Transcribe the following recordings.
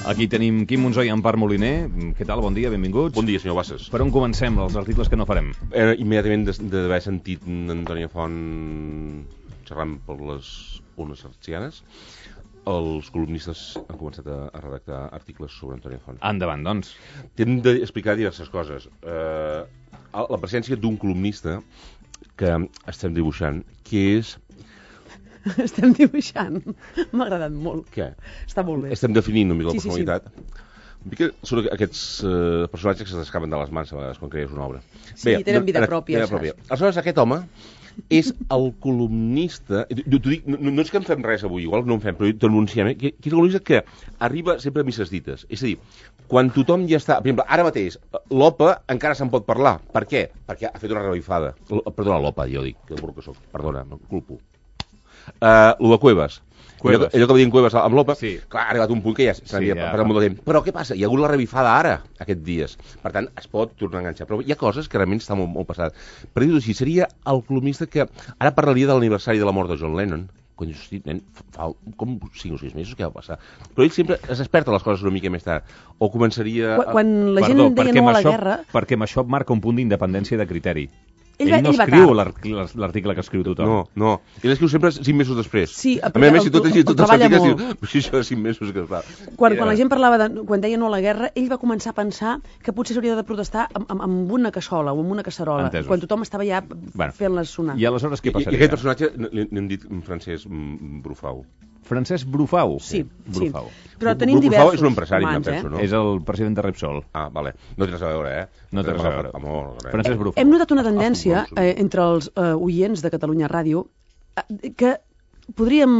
Aquí tenim Quim Monzó i Empar Moliner. Què tal? Bon dia, benvinguts. Bon dia, senyor Bassas. Per on comencem, els articles que no farem? Immediatament d'haver sentit Antònia Font xerrant per les ones artesianes, els columnistes han començat a redactar articles sobre Antònia Font. Endavant, doncs. Hem d'explicar diverses coses. La presència d'un columnista que estem dibuixant, que és... Estem dibuixant. M'ha agradat molt. Què? Està molt bé. Estem definint una mica la Sí. personalitat. Són aquests personatges que s'escapen de les mans a vegades quan crees una obra. Sí, tenen vida pròpia, saps? Aleshores, aquest home és el columnista... T'ho dic, no és que en fem res avui, igual no en fem, però t'ho anunciem, que és el columnista que arriba sempre a misses dites. És a dir, quan tothom ja està... Per exemple, ara mateix, l'OPA encara se'n pot parlar. Per què? Perquè ha fet una revifada. Perdona, l'OPA, jo dic, que burro que soc. Perdona, no culpo. Lo de Cuevas. Allò que va dir en Cuevas amb l'OPA, sí. Clar, ha arribat un punt que ja s'havia passat molt de temps. Però què passa? Hi ha hagut la revifada ara, aquests dies. Per tant, es pot tornar a enganxar. Però hi ha coses que realment estan molt passades. Per dir-ho així, seria el columnista que ara parlaria de l'aniversari de la mort de John Lennon. Quan dius, hosti, nen, fa com 5 o 6 mesos que va passar. Però ell sempre es desperta les coses una mica més tard. O començaria... Quan la gent deia no a la guerra... Perquè amb això marca un punt d'independència de criteri. Ell no escriu l'article que escriu tothom. No. Ell escriu sempre 5 mesos després. Sí, a més, si tot els articles diu, això de 5 mesos que es fa. Quan la gent parlava quan deia no a la guerra, ell va començar a pensar que potser s'hauria de protestar amb una cassola o amb una casserola. Entesos. Quan tothom estava ja fent-les sonar. I aleshores què passaria? I aquest personatge n'hem dit Francesc Brufau. Francesc Brufau? Sí. Brufau. Però tenim diversos. Brufau és un empresari, humans, penso, no? És el president de Repsol. Ah, vale. No té res a veure, No té res a veure. Francesc Brufau. Hem notat una tendència entre els oients de Catalunya Ràdio que podríem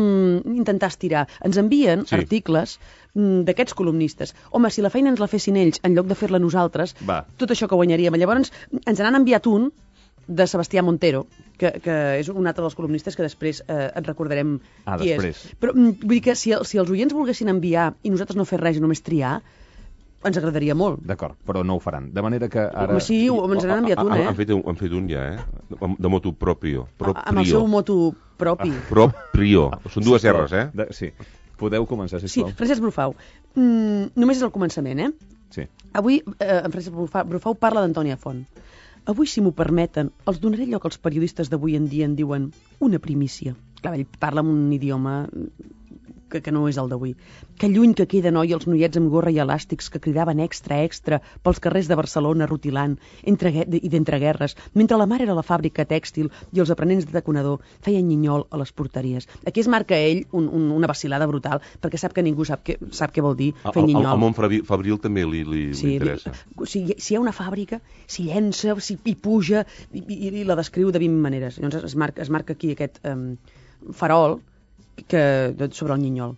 intentar estirar. Ens envien articles d'aquests columnistes. Home, si la feina ens la fessin ells en lloc de fer-la nosaltres, tot això que guanyaríem. Llavors ens n'han enviat un de Sebastià Montero, que és un altre dels columnistes que després et recordarem qui és. Però vull dir que si els oients volguessin enviar i nosaltres no fer res i només triar, ens agradaria molt. D'acord, però no ho faran. De manera que ara... Home, sí, ens n'han enviat un, Han fet un ja, de motu proprio. Amb el seu motu propi. Proprio. Són dues R's, Sí. Podeu començar, sisplau. Sí, Francesc Brufau. Només és el començament, Sí. Avui en Francesc Brufau parla d'Antònia Font. Avui, si m'ho permeten, els donaré allò que els periodistes d'avui en dia en diuen una primícia. Clar, ell parla amb un idioma que no és el d'avui. Que lluny que queda, noi, els noiets amb gorra i elàstics que cridaven extra, extra pels carrers de Barcelona rutilant i d'entreguerres, mentre la mare era a la fàbrica tèxtil i els aprenents de taconador feien nyinyol a les porteries. Aquí es marca ell una vacil·lada brutal, perquè sap que ningú sap què vol dir fer nyinyol. Al món fabril també li interessa. Si hi ha una fàbrica, s'hi llença, s'hi puja i la descriu de 20 maneres. Llavors es marca aquí aquest farol sobre el nyinyol.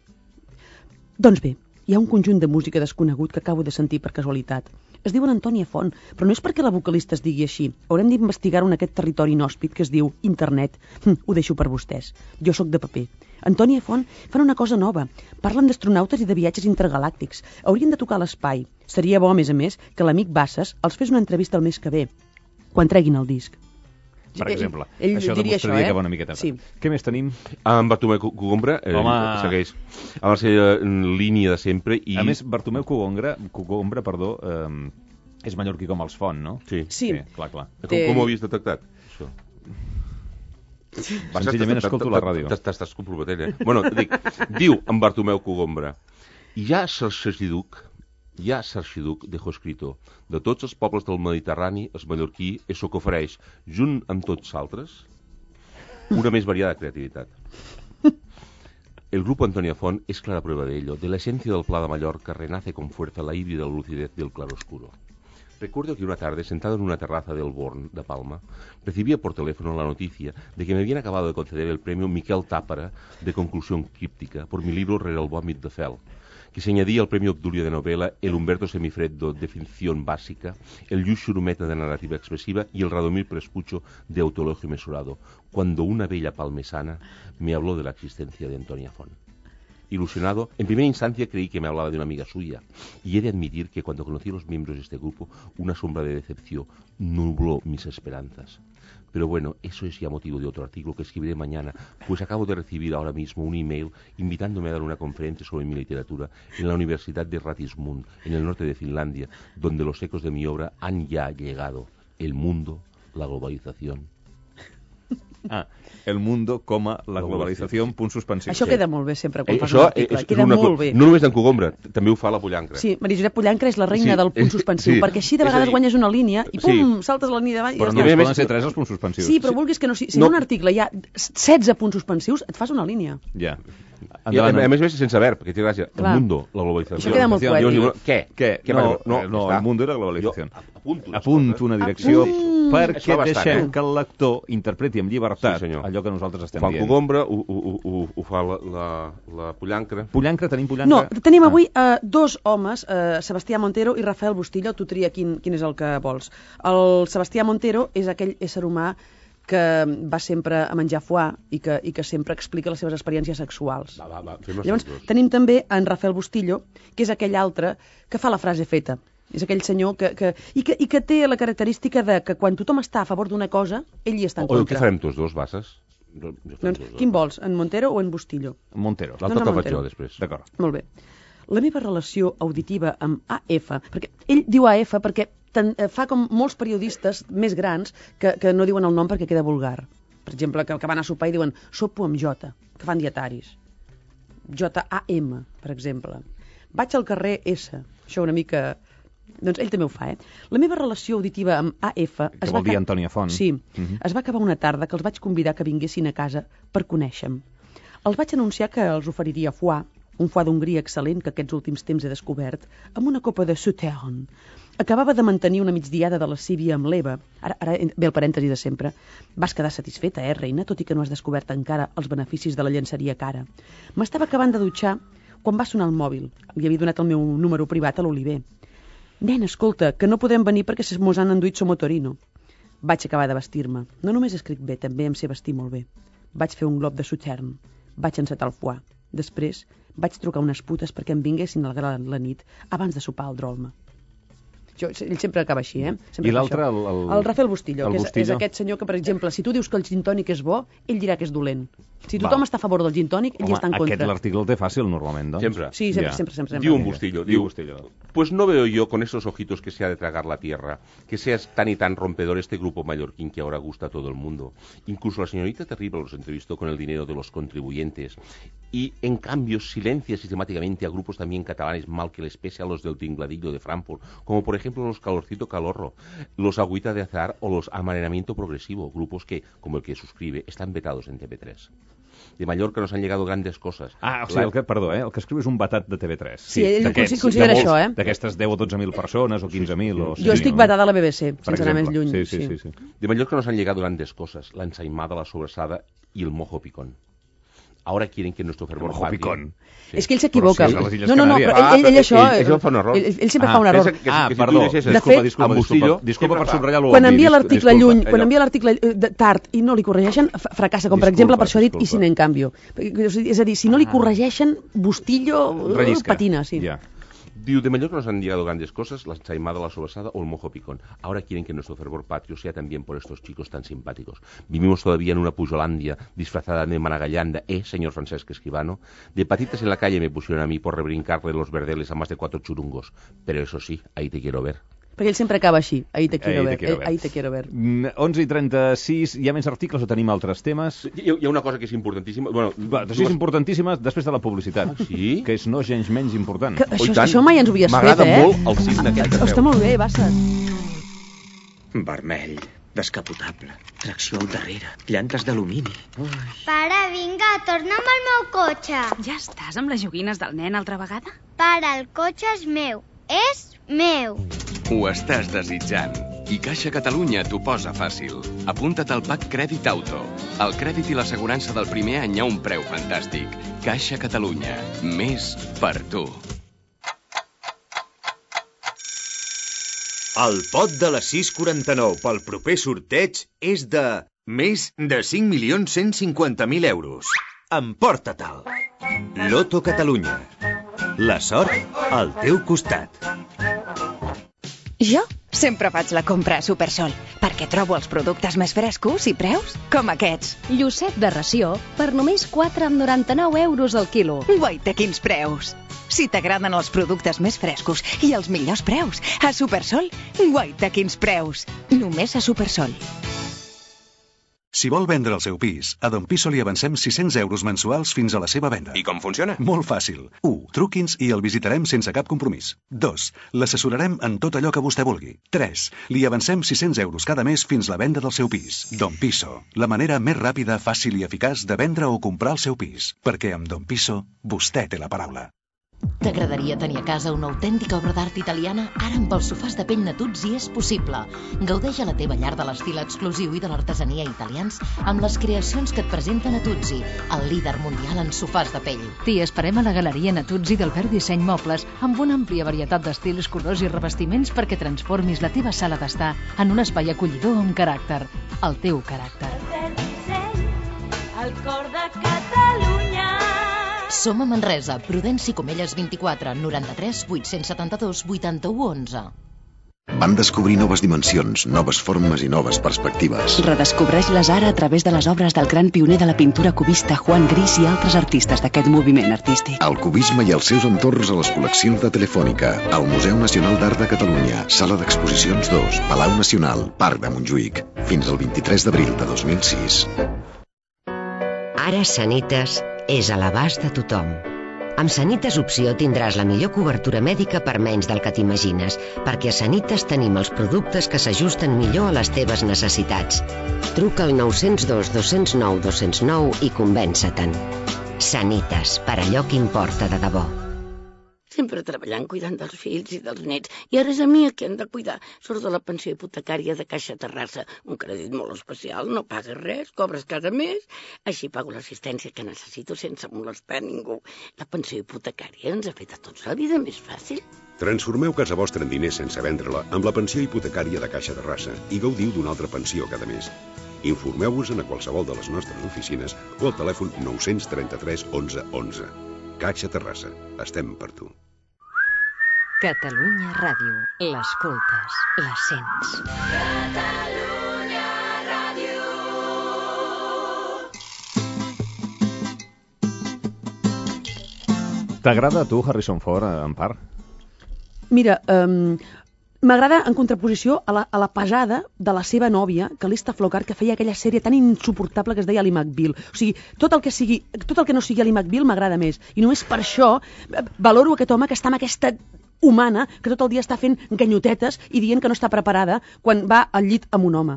Doncs bé, hi ha un conjunt de música desconegut que acabo de sentir per casualitat. Es diuen Antònia Font, però no és perquè la vocalista es digui així. Haurem d'investigar-ho en aquest territori inhòspit que es diu internet. Ho deixo per vostès. Jo sóc de paper. Antònia Font fan una cosa nova. Parlen d'astronautes i de viatges intergalàctics. Haurien de tocar l'espai. Seria bo, a més, que l'amic Bassas els fes una entrevista el mes que ve, quan treguin el disc. Per exemple, ell això demostraria que va una miqueta. Sí. Què més tenim? En Bartomeu Cogombra segueix amb la seva línia de sempre. A més, Bartomeu Cogombra, és mallorquí com els Font, no? Sí. Clar. Com ho havies detectat, això? Senzillament escolto la ràdio. T'estàs comprometent, Bueno, diu en Bartomeu Cogombra: hi ha Sarxiduc dejó escrito: de tots els pobles del Mediterrani, el mallorquí és el que ofereix, junt amb tots altres, una més variada creativitat. El grupo Antònia Font es clara prueba de ello. De la esencia del Pla de Mallorca renace con fuerza la híbrida lucidez del claroscuro. Recuerdo que una tarde, sentado en una terraza del Born, de Palma, recibía por teléfono la noticia de que me habían acabado de conceder el premio Miquel Tàpara de conclusión críptica por mi libro Rere el vòmit de Fel, que se añadía al premio Obdulio de novela, el Humberto Semifreddo de ficción básica, el Lluís Xurumeta de narrativa expresiva y el Radomir Prespucho de autoelogio mesurado, cuando una bella palmesana me habló de la existencia de Antònia Font. Ilusionado, en primera instancia creí que me hablaba de una amiga suya, y he de admitir que cuando conocí a los miembros de este grupo, una sombra de decepción nubló mis esperanzas. Pero bueno, eso es ya motivo de otro artículo que escribiré mañana, pues acabo de recibir ahora mismo un email invitándome a dar una conferencia sobre mi literatura en la Universidad de Ratismund, en el norte de Finlandia, donde los ecos de mi obra han ya llegado. El mundo, la globalización. El mundo, la globalització, punt suspensiu. Això queda molt bé sempre quan fas un article. Queda molt bé. No només d'en Cogombra, també ho fa la Pollancra. Sí, Maria Josep Pollancra és la reina del punt suspensiu, perquè així de vegades guanyes una línia i pum, saltes la línia davall. Però només poden ser 3 els punts suspensius. Sí, però vulguis que no sigui. Si en un article hi ha 16 punts suspensius, et fas una línia. Ja. I a més, sense verb, perquè té gràcia. El mundo, la globalització. Això queda molt poètic. Què? No, el mundo era la globalització. Apunto una direcció perquè deixem que el lector interpreti amb llibertat allò que nosaltres estem dient. Fa el Cogombra, ho fa la Pollancra. Tenim Pollancra? No, tenim avui dos homes, Sebastià Montero i Rafael Bustillo. Tu tria quin és el que vols. El Sebastià Montero és aquell ésser humà que va sempre a menjar foie i que sempre explica les seves experiències sexuals. Llavors, tenim també en Rafael Bustillo, que és aquell altre que fa la frase feta. És aquell senyor que té la característica de que quan tothom està a favor d'una cosa, ell hi està en contra. Què farem tots dos, Basses? Doncs, quin vols, en Montero o en Bustillo? Montero. L'altre te'l faig jo després. D'acord. Molt bé. La meva relació auditiva amb AF, perquè ell diu AF perquè fa com molts periodistes més grans que no diuen el nom perquè queda vulgar. Per exemple, que van a sopar i diuen sopo amb J, que fan dietaris. J-A-M, per exemple. Vaig al carrer S. Això una mica... Doncs ell també ho fa, La meva relació auditiva amb AF... Que vol dir Antònia Font. Sí. Es va acabar una tarda que els vaig convidar que vinguessin a casa per conèixer-me. Els vaig anunciar que els oferiria foie, un foie d'Hongria excel·lent que aquests últims temps he descobert, amb una copa de Sauternes. Acabava de mantenir una migdiada de lascívia amb l'Eva. Ara ve el parèntesi de sempre. Vas quedar satisfeta, reina, tot i que no has descobert encara els beneficis de la llenceria cara. M'estava acabant de dutxar quan va sonar el mòbil. Li havia donat el meu número privat a l'Oliver. Nen, escolta, que no podem venir perquè mos han enduit Somotorino. Vaig acabar de vestir-me. No només escric bé, també em sé vestir molt bé. Vaig fer un glob de Sauternes. Vaig encetar el foie. Després vaig trucar unes putes perquè em vinguessin a la nit abans de sopar al Drolma. Ell sempre acaba així, Sempre I l'altre, el Rafael Bustillo, que és aquest senyor que, per exemple, si tu dius que el gin tònic és bo, ell dirà que és dolent. Si tothom està a favor del gin tònic, ell està en contra. Aquest l'article el té fàcil, normalment, doncs. Siempre. Sí, siempre. Diu un Bustillo. Pues no veo yo con esos ojitos que se ha de tragar la tierra, que seas tan y tan rompedor este grupo mallorquín que ahora gusta a todo el mundo. Incluso la señorita Terrible los entrevistó con el dinero de los contribuyentes. Y, en cambio, silencia sistemáticamente a grupos también catalanes mal que les pese a los del Tingladillo de Frankfurt, como por ejemplo los Calorcito Calorro, los Agüita de Azar o los Amanenamiento Progresivo, grupos que, como el que suscribe, están vetados en TV3. De Mallorca nos han llegado grandes cosas. O sigui, el que escriu és un vetat de TV3. Sí, ell considera això, D'aquestes 10 o 12.000 persones o 15.000. Jo estic vetada a la BBC, sense anar més lluny. Sí. De Mallorca nos han llegado grandes cosas, la ensaimada, la sobrasada y el mojo picón. Ahora quieren que nuestro fervor patrio... És que ell s'equivoca. No, però ell això... Ell fa un error. Ell sempre fa un error. Perdó. Disculpa per subratllar l'obvi. Quan envia l'article lluny, quan envia l'article tard i no li corregeixen, fracassa, com per exemple, per això ha dit i sin en canvio. És a dir, si no li corregeixen, Bustillo patina, sí. Diu, de Mallorca nos han llegado grandes cosas, la ensaimada, la sobrasada o el mojo picón. Ahora quieren que nuestro fervor patrio sea también por estos chicos tan simpáticos. Vivimos todavía en una Pujolandia disfrazada de Managallanda, señor Francesc Escribano. De patitas en la calle me pusieron a mí por rebrincarle los verdeles a más de 4 churungos. Pero eso sí, ahí te quiero ver. Perquè ell sempre acaba així, ahí te quiero ver. 11:36, hi ha més articles o tenim altres temes? Hi ha una cosa que és importantíssima. És importantíssima després de la publicitat. Sí? Que és no gens menys important. Això mai ens ho havies fet, M'agrada molt el signe aquest que feu. Està molt bé, Basses. Vermell, descapotable, tracció al darrere, llantes d'alumini. Pare, vinga, torna'm al meu cotxe. Ja estàs amb les joguines del nen altra vegada? Pare, el cotxe és meu. És meu. Ho estàs desitjant. I Caixa Catalunya t'ho posa fàcil. Apunta't al PAC Crèdit Auto. El crèdit i l'assegurança del primer any a un preu fantàstic. Caixa Catalunya. Més per tu. El pot de les 6,49 pel proper sorteig és de més de 5.150.000 euros. Emporta-te'l. Loto Catalunya. La sort al teu costat. Jo sempre faig la compra a Supersol, perquè perquè trobo els productes més frescos i preus com aquests. Llucet de ració per només 4,99 € al quilo. Guaita, quins preus! Si t'agraden els productes més frescos i els millors preus, a Supersol, guaita, quins preus! Només a Supersol. Si vol vendre el seu pis, a Don Piso li avancem 600 € mensuals fins a la seva venda. I com funciona? Molt fàcil. 1. Truqui'ns i el visitarem sense cap compromís. 2. L'assessorarem en tot allò que vostè vulgui. 3. Li avancem 600 € cada mes fins la venda del seu pis. Don Piso, la manera més ràpida, fàcil i eficaç de vendre o comprar el seu pis. Perquè amb Don Piso, vostè té la paraula. T'agradaria tenir a casa una autèntica obra d'art italiana? Ara amb els sofàs de pell Natuzzi és possible. Gaudeix a la teva llar de l'estil exclusiu i de l'artesania italians amb les creacions que et presenta Natuzzi, el líder mundial en sofàs de pell. T'hi esperem a la Galeria Natuzzi del Verd Disseny Mobles amb una àmplia varietat d'estils, colors i revestiments perquè transformis la teva sala d'estar en un espai acollidor amb caràcter. El teu caràcter. El Verd Disseny, el cor de Catalunya. Som a Manresa, Prudenci Comelles 24, 93 872 81 11. Vam descobrir noves dimensions, noves formes i noves perspectives. Redescobreix-les ara a través de les obres del gran pioner de la pintura cubista Juan Gris i altres artistes d'aquest moviment artístic. El cubisme i els seus entorns a les col·leccions de Telefònica, al Museu Nacional d'Art de Catalunya, Sala d'Exposicions 2, Palau Nacional, Parc de Montjuïc, fins al 23 d'abril de 2006. Ara Sanitas és a l'abast de tothom. Amb Sanitas Opció tindràs la millor cobertura mèdica per menys del que t'imagines, perquè a Sanitas tenim els productes que s'ajusten millor a les teves necessitats. Truca al 902 209 209 i convença-te'n. Sanitas, per allò que importa de debò. Sempre treballant, cuidant dels fills i dels nets. I ara és a mi que han de cuidar. Surt de la pensió hipotecària de Caixa Terrassa. Un crèdit molt especial, no pagues res, cobres cada mes. Així pago l'assistència que necessito sense molestar ningú. La pensió hipotecària ens ha fet a tots la vida més fàcil. Transformeu casa vostra en diners sense vendre-la amb la pensió hipotecària de Caixa Terrassa i gaudiu d'una altra pensió cada mes. Informeu-vos-en a qualsevol de les nostres oficines o al telèfon 933 11 11. Caixa Terrassa. Estem per tu. Catalunya Ràdio. L'escoltes, la sents. Catalunya Ràdio. T'agrada a tu Harrison Ford, en part? Mira, m'agrada en contraposició a la pesada de la seva nòvia, Calista Flockhart, que feia aquella sèrie tan insuportable que es deia Ali McBeal. O sigui, tot el que no sigui Ali McBeal m'agrada més. I només per això valoro aquest home que està amb aquesta humana que tot el dia està fent ganyotetes i dient que no està preparada quan va al llit amb un home.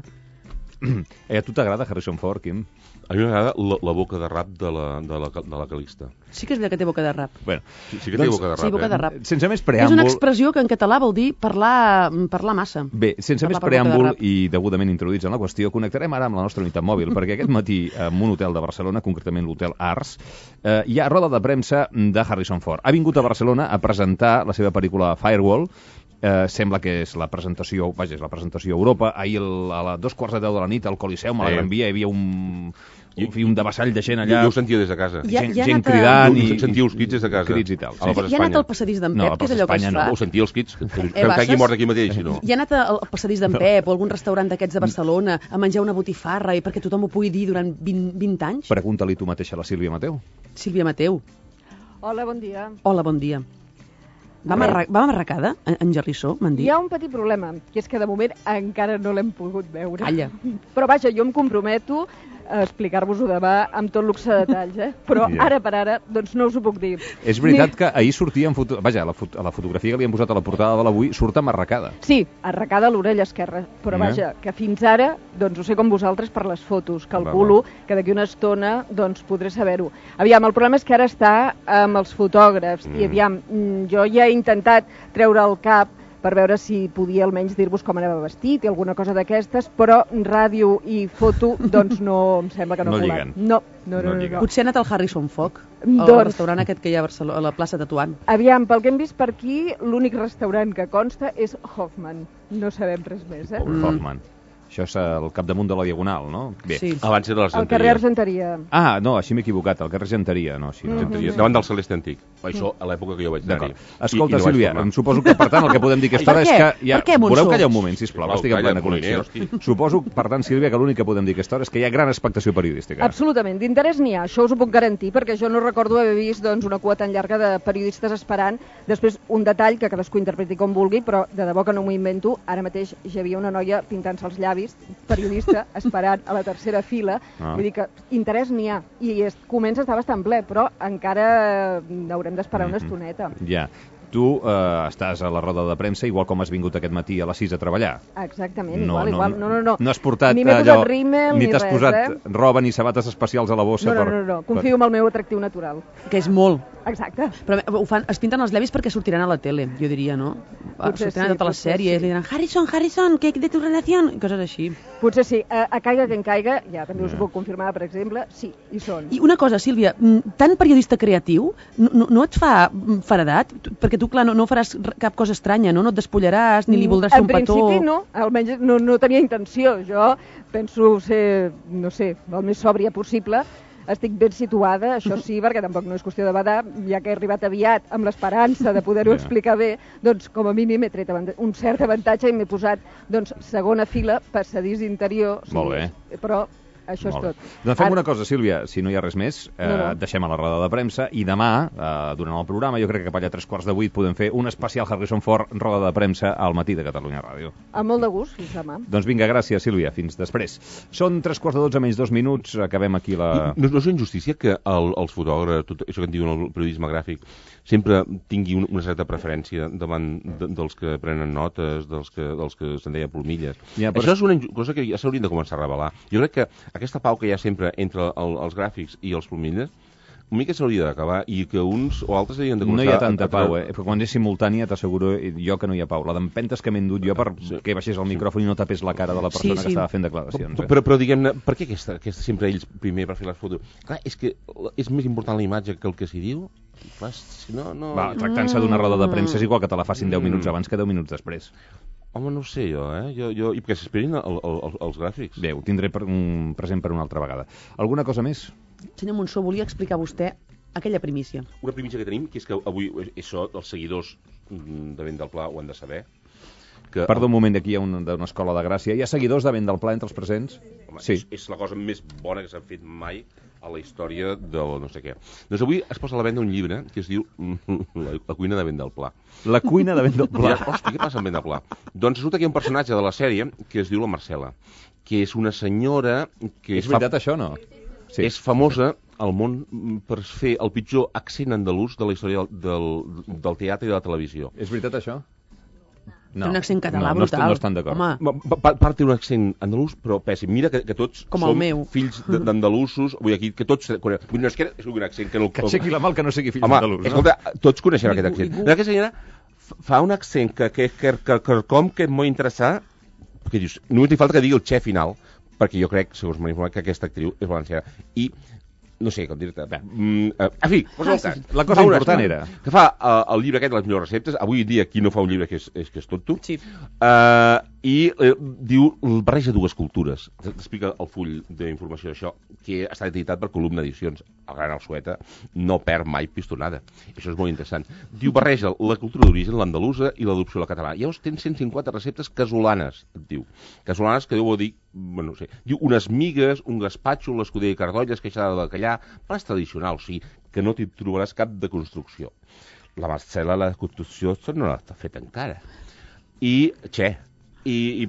A tu t'agrada Harrison Ford, Quim? A mi m'agrada la boca de rap de la Calista. Sí que és veritat que té boca de rap. Bueno, sí que té boca de rap. Sí, boca de rap. Sense més preàmbul... És una expressió que en català vol dir parlar massa. Bé, sense més preàmbul i degudament introduïts en la qüestió, connectarem ara amb la nostra unitat mòbil, perquè aquest matí en un hotel de Barcelona, concretament l'hotel Ars, hi ha roda de premsa de Harrison Ford. Ha vingut a Barcelona a presentar la seva pel·lícula Firewall. Sembla que és la presentació, vaja, és la presentació a Europa. Ahir a 2:15 de la nit al Coliseum, a la Gran Via, hi havia un devessall de gent allà. Jo ho sentia des de casa. Gent cridant i... Sentia els crits des de casa. Crits i tal. I ha anat al passadís d'en Pep, que és allò que es fa. No, ho sentia els crits. Que hagi mort aquí mateix, no. I ha anat al passadís d'en Pep o algun restaurant d'aquests de Barcelona a menjar una botifarra i perquè tothom ho pugui dir durant 20 anys? Pregunta-li tu mateixa a la Sílvia Mateu. Sílvia Mateu. Hola, bon dia. Hola, bon dia. Va amarracada, en Gerrissó, m'han dit? Hi ha un petit problema, que és que de moment encara no l'hem pogut veure. Calla. Però vaja, jo em comprometo a explicar-vos-ho demà amb tot luxe de detalls, Però ara per ara, doncs no us ho puc dir. És veritat que ahir sortia vaja, a la fotografia que li hem posat a la portada de l'Avui surt amarracada. Sí, arracada a l'orella esquerra, però vaja, que fins ara, doncs ho sé com vosaltres per les fotos, calculo que d'aquí una estona doncs podré saber-ho. Aviam, el problema és que ara està amb els fotògrafs i aviam, jo ja he intentat treure el cap per veure si podia almenys dir-vos com anava vestit i alguna cosa d'aquestes, però ràdio i foto, doncs no em sembla que no lliguen. No. Potser ha anat al Harrison Ford, al restaurant aquest que hi ha a la plaça Tetuan. Aviam, pel que hem vist per aquí, l'únic restaurant que consta és Hoffman. No sabem res més, Hoffman. Això és al capdamunt de la Diagonal, no? Bé. Sí. Abans era l'Argenteria. Al carrer Argenteria. Ah, no, així m'he equivocat, al carrer Argenteria, no, així no. Argenteria, davant del Celeste Antic. Això a l'època que jo vaig anar-hi. Escolta, Sílvia, em suposo que, per tant, el que podem dir a aquesta hora és que... Per què, Montsó? Voleu callar un moment, sisplau, estic en plena connexió. Suposo, per tant, Sílvia, que l'únic que podem dir a aquesta hora és que hi ha gran expectació periodística. Absolutament, d'interès n'hi ha, això us ho puc garantir, perquè jo no recordo haver vist doncs, una cua tan llarga de periodistes esperant. Després, un detall que cadascú interpreti com vulgui, però de debò que no m'ho invento, ara mateix hi havia una noia pintant-se els llavis, periodista, esperant a la tercera fila. Vull dir que interès n'hi ha, i comença a estar bastant ple, però encara haurem d'esperar una estoneta. Ja. Tu estàs a la roda de premsa, igual com has vingut aquest matí a les 6 a treballar. Exactament, igual. No. No has portat ni m'he posat rímel, ni t'has posat roba ni sabates especials a la bossa. No. Confio en el meu atractiu natural. Que és molt. Exacte. Però es pinten els llavis perquè sortiran a la tele, jo diria, no? Sortiran a totes les sèries, li diran Harrison, que de tu relació? Coses així. Potser sí. A caiga que en caiga, ja també us ho puc confirmar, per exemple, sí, hi són. I una cosa, Sílvia, tant periodista creatiu no et fa faredat? Perquè tu, clar, no faràs cap cosa estranya, no? No et despullaràs, ni li voldràs fer un petó... En principi no, almenys no tenia intenció. Jo penso ser, no sé, el més sòbria possible. Estic ben situada, això sí, perquè tampoc no és qüestió de badar, ja que he arribat aviat amb l'esperança de poder-ho explicar bé, doncs com a mínim he tret un cert avantatge i m'he posat segona fila, passadís interior. Molt bé. Però això és tot. Doncs fem una cosa, Sílvia, si no hi ha res més, deixem a la roda de premsa i demà, durant el programa, jo crec que cap allà a 7:45 podem fer un especial Harrison Ford roda de premsa al matí de Catalunya Ràdio. Amb molt de gust, fins demà. Doncs vinga, gràcies, Sílvia, fins després. Són 3:45 menys 2 minuts, acabem aquí la... No és injustícia que els fotògrafs, tot això que en diuen el periodisme gràfic, sempre tingui una certa preferència davant dels que prenen notes, dels que se'n deia plomilles. Això és una cosa que ja s'haurien de començar a revelar. Jo crec que aquesta pau que hi ha sempre entre els gràfics i els plomilles, una mica s'hauria d'acabar i que uns o altres havien de començar... No hi ha tanta pau, Perquè quan és simultània t'asseguro jo que no hi ha pau. La d'empentes que m'he endut jo perquè baixés el micròfon i no tapés la cara de la persona que estava fent declaracions. Però diguem-ne, per què sempre ells primer per fer les fotos? Clar, és que és més important la imatge que el que s'hi diu. Tractant-se d'una roda de premsa és igual que te la facin 10 minuts abans que 10 minuts després. Home, no ho sé jo, I perquè s'esperin els gràfics. Bé, ho tindré present per una altra vegada. Alguna cosa més? Senyor Montsó, volia explicar vostè aquella primícia. Una primícia que tenim, que és que avui això els seguidors de Vent del Pla ho han de saber. Perdó un moment, aquí hi ha una escola de Gràcia. Hi ha seguidors de Vent del Pla entre els presents? Home, sí. És la cosa més bona que s'ha fet mai a la història del no sé què. Doncs avui es posa a la venda un llibre que es diu La cuina de Vent del Pla. La cuina de Vent del Pla? Hòstia, què passa amb Vent del Pla? Doncs resulta que hi ha un personatge de la sèrie que es diu la Marcela, que és una senyora que... És veritat això, no? Sí. És famosa al món per fer el pitjor accent andalús de la història del teatre i de la televisió. És veritat això? No. Té un accent català brutal. No estan d'acord. Part té un accent andalús, però pèssim. Mira que tots som fills d'andalusos. Vull dir que tots... No és que és un accent que no... Que aixequi la mà que no sigui fill d'andalús. Escolta, tots coneixem aquest accent. Aquesta senyora fa un accent que és molt interessant, que dius, només li falta que digui el xe final, perquè jo crec, segons m'ha informat, que aquesta actriu és valenciana. I no sé com dir-te. En fi, la cosa important era que fa el llibre aquest de les millors receptes. Avui dia qui no fa un llibre que és tot tu. Sí. I diu, barreja dues cultures. T'explica el full d'informació d'això, que està editat per Columna Edicions. El gran Alsueta no perd mai pistonada. Això és molt interessant. Diu, barreja la cultura d'origen, l'andalusa, i l'adopció a la catalana. Llavors tens 150 receptes casolanes, et diu. Casolanes que deu dir, bueno, no sé, diu unes migues, un gaspatxo, l'escuder de cardoll, esqueixada de bacallà, plats tradicionals, o sigui, que no t'hi trobaràs cap de construcció. La Marcela, la construcció no l'ha fet encara. I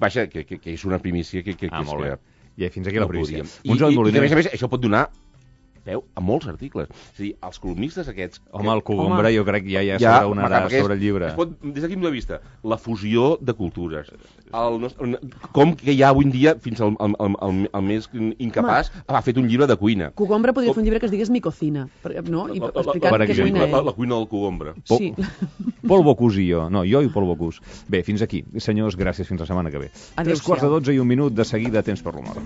vaja, que és una primícia que molt bé. I fins aquí la primícia. I a més, això pot donar peu a molts articles. És a dir, els columnistes aquests... Home, el Cogombre jo crec que ja s'adonarà sobre el llibre. Des d'aquí punt de vista, la fusió de cultures, com que hi ha avui en dia, fins al més incapaç, ha fet un llibre de cuina. Cogombre podria fer un llibre que es digués Mi Cocina, no? I explicant què cuina ell. La cuina del Cogombre. Sí. Pol Bocús i jo. No, jo i Pol Bocús. Bé, fins aquí. Senyors, gràcies, fins la setmana que ve. 3:45 i un minut, de seguida temps per l'humor.